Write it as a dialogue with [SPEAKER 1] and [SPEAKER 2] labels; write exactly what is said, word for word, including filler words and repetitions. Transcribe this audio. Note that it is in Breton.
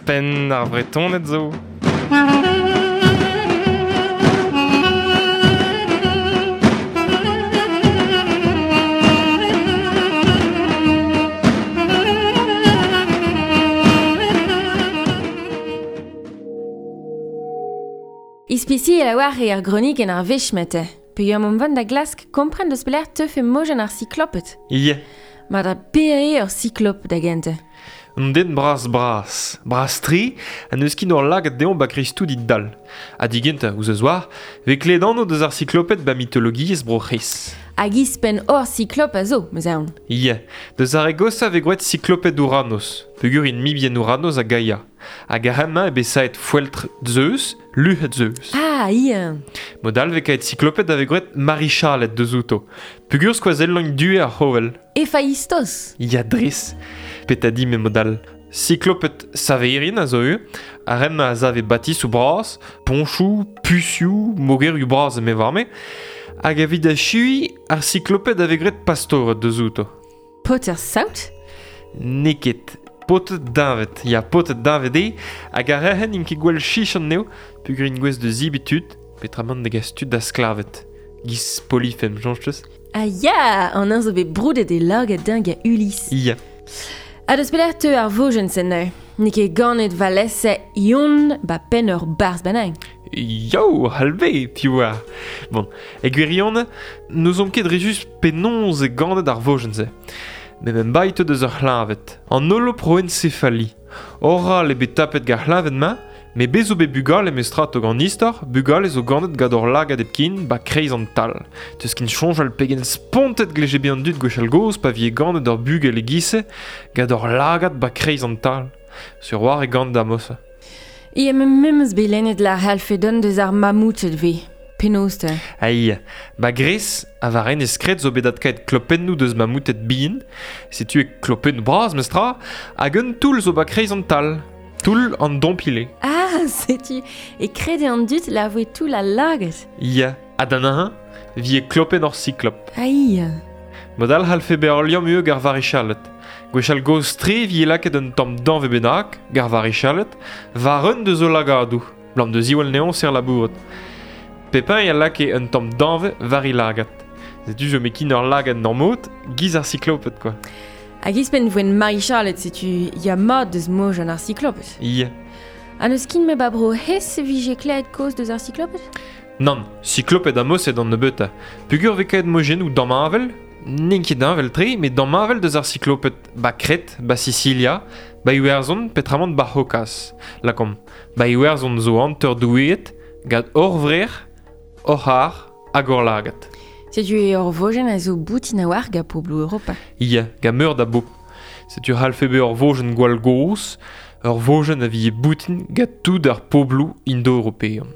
[SPEAKER 1] Penn ar Vretoned zo.
[SPEAKER 2] Ispisiel a oar e ar gronik en ar vechmete. Peogwir mont vont da glask kompren deus pelec'h teufe mojenn ar sikloped.
[SPEAKER 1] Ie.
[SPEAKER 2] Ma da pere ur siklop da gentañ.
[SPEAKER 1] Un den bras bras. Bras-tre, ha n'eus ket ur lagad dezhañ ba kreiz-tout dit dal. Ha digentañ, ouzh eus war, vez klevet anv deus ar sikloped ba mitologiezh Bro-C'hres.
[SPEAKER 2] Hag ispenn hor siklop a zo, meus aon.
[SPEAKER 1] Ie. Deus ar re gosañ vez gwraet sikloped Ouranos, peogwir int mibien Ouranos ha Gaia. Hag ar hemañ eo bet saet foeltr Zeus, luc'hed Zeus.
[SPEAKER 2] Ah, ie.
[SPEAKER 1] Mod all vez kaet sikloped a vez gwraet marichaled deus outo. Peogwir skoazellañ due ar c'hovel.
[SPEAKER 2] Héphaïstos.
[SPEAKER 1] Ya dres. Pet a di me mod all. Sikloped saverin a zo eo, ar hemañ a zave batisoù bras, poñchoù, pusioù, mogerioù bras eme varme. Hag evit achui, ar sikloped a vez graet pastored deus outo.
[SPEAKER 2] Paotr saout?
[SPEAKER 1] N'eo ket. Paotr deñved. Ya, paotr deñved eo, hag ar rec'hen int ket gwell chich anezho, peogwir int gouest da zebriñ tud, peotramant da gas tud da sklaved. Giz Polyphème, soñj teus?
[SPEAKER 2] Ah ya, an eñ zo bet broudet e lagad deñ gant Ulysse.
[SPEAKER 1] Ya.
[SPEAKER 2] Ha deus pelec'h teu ar vojenn-se neuze? N'eo ket ganet valese Ion ba penn ur barzh bennak.
[SPEAKER 1] Yo, halve, piv oar. Bon, e gwirionez, n'ouzomp ket dre just penaos eo ganet ar vojenn-se. Met em baetet deus ur c'hleñved. An holoproencéphalie. Oral eo bet tapet gant ar c'hleñved-mañ, met bez zo bet bugale mestra tog an istor, bugale zo ganet gant ur lagad hepken ba kreiz an tal. Teus ket soñjal pegen spontet gleje bet an dud gwechall gozh pa vije ganet ur bugel e-giz-se gant ur lagad ba kreiz an tal. Sur war e ganet da mosa.
[SPEAKER 2] Ie, me memes bet lennet la c'hallfe dont deus ar mamouted ve. Penaos te?
[SPEAKER 1] Ai, ba Gres, a war enez kret zo bet adkaet klopennoù deus mamouted bihan, setu e klopennoù bras mestra, hag un toull zo ba kreiz an tal. Toull an dompile.
[SPEAKER 2] Ah, setu, e krede an dud la voe toull al lagad.
[SPEAKER 1] Ya, ha d'an un, vi e klopenn ur siklop.
[SPEAKER 2] Ai.
[SPEAKER 1] Mod all c'hallfe bezañ ur liamm eo gant varichaled. Gwechall gozh-tre vi e lakaet un tamm danvez bennak, gant varichaled, war un deus o lagadoù, blam deus ziwall neon ser labouret. Pepin a lakae un tamm danvez war e lagad. Setu zo mekin ur lagad normot, giz ar sikloped, quoi.
[SPEAKER 2] Hag ispenn voen marichaled, setu ya mat deus mojenn ar sikloped.
[SPEAKER 1] Ya.
[SPEAKER 2] Ha n'eus ket me ba bro hes vije klevet kaoz deus ar sikloped?
[SPEAKER 1] Nann, sikloped a mosed an nebeutañ. Peogwir vez kaet mojennoù damheñvel, n'int ket heñvel-tre, met damheñvel deus ar sikloped ba Kret, ba Sicilia, ba Iwerzhon, petramant ba C'hokaz. Lakaomp, ba Iwerzhon zo hanter doueed, gant hor vrec'h, hor c'har hag hor lagad.
[SPEAKER 2] Setu eo ur vojenn a zo boutin a-walc'h gant pobloù Europa.
[SPEAKER 1] Ia, gant meur da bobl. Setu c'hallfe bezañ ur vojenn gwall gozh, ur vojenn a vije boutin gant tout ar pobloù indo-european.